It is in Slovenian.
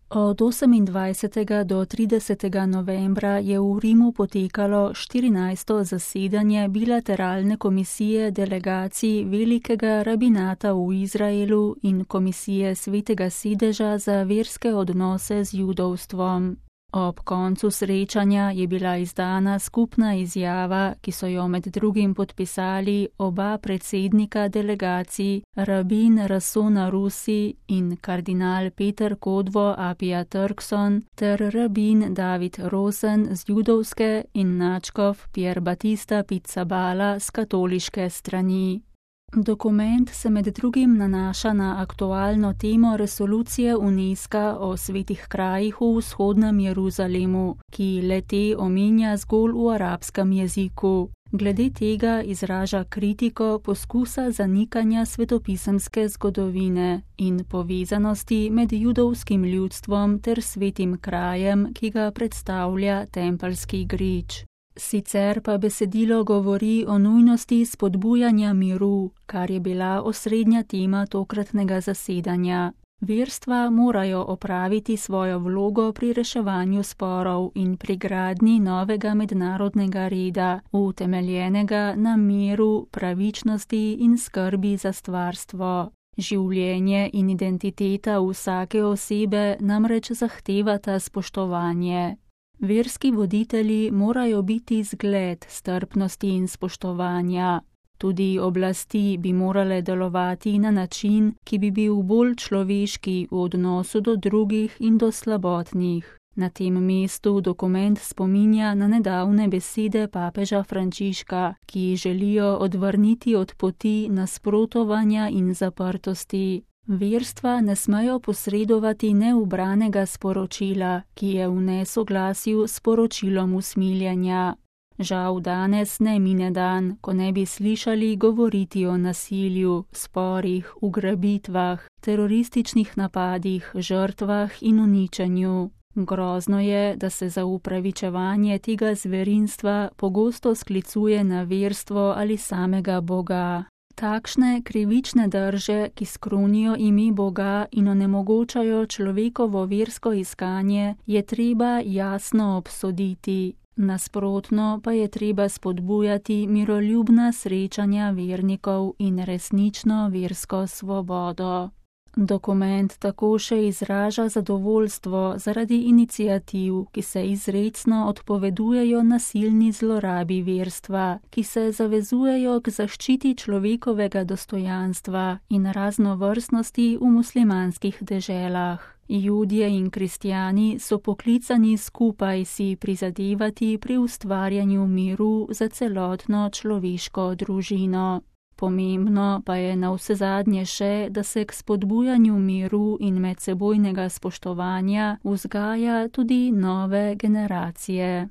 Od 28. do 30. novembra je v Rimu potekalo 14. zasedanje bilateralne komisije delegacij Velikega rabinata v Izraelu in komisije Svetega sedeža za verske odnose z judovstvom. Ob koncu srečanja je bila izdana skupna izjava, ki so jo med drugim podpisali oba predsednika delegacij, rabin Rason Arusi in kardinal Peter Kodvo Apia Turkson ter rabin David Rosen z judovske in nadškof Pier Battista Pizzaballa z katoliške strani. Dokument se med drugim nanaša na aktualno temo resolucije UNESCO o svetih krajih v vzhodnem Jeruzalemu, ki le-te omenja zgolj v arabskem jeziku. Glede tega izraža kritiko poskusa zanikanja svetopisemske zgodovine in povezanosti med judovskim ljudstvom ter svetim krajem, ki ga predstavlja tempeljski grič. Sicer pa besedilo govori o nujnosti spodbujanja miru, kar je bila osrednja tema tokratnega zasedanja. Verstva morajo opraviti svojo vlogo pri reševanju sporov in pri gradnji novega mednarodnega reda, utemeljenega na miru, pravičnosti in skrbi za stvarstvo. Življenje in identiteta vsake osebe namreč zahtevata spoštovanje. Verski voditelji morajo biti zgled strpnosti in spoštovanja. Tudi oblasti bi morale delovati na način, ki bi bil bolj človeški v odnosu do drugih in do slabotnih. Na tem mestu dokument spominja na nedavne besede papeža Frančiška, ki želijo odvrniti od poti nasprotovanja in zaprtosti. Verstva ne smejo posredovati neubranega sporočila, ki je v nesoglasju s poročilom usmiljenja. Žal danes ne mine dan, ko ne bi slišali govoriti o nasilju, sporih, ugrabitvah, terorističnih napadih, žrtvah in uničenju. Grozno je, da se za upravičevanje tega zverinstva pogosto sklicuje na verstvo ali samega Boga. Takšne krivične drže, ki skrunijo ime Boga in onemogočajo človekovo versko iskanje, je treba jasno obsoditi. Nasprotno pa je treba spodbujati miroljubna srečanja vernikov in resnično versko svobodo. Dokument tako še izraža zadovoljstvo zaradi iniciativ, ki se izrecno odpovedujejo nasilni zlorabi verstva, ki se zavezujejo k zaščiti človekovega dostojanstva in raznovrstnosti v muslimanskih deželah. Judje in kristjani so poklicani skupaj si prizadevati pri ustvarjanju miru za celotno človeško družino. Pomembno pa je navsezadnje še, da se k spodbujanju miru in medsebojnega spoštovanja vzgaja tudi nove generacije.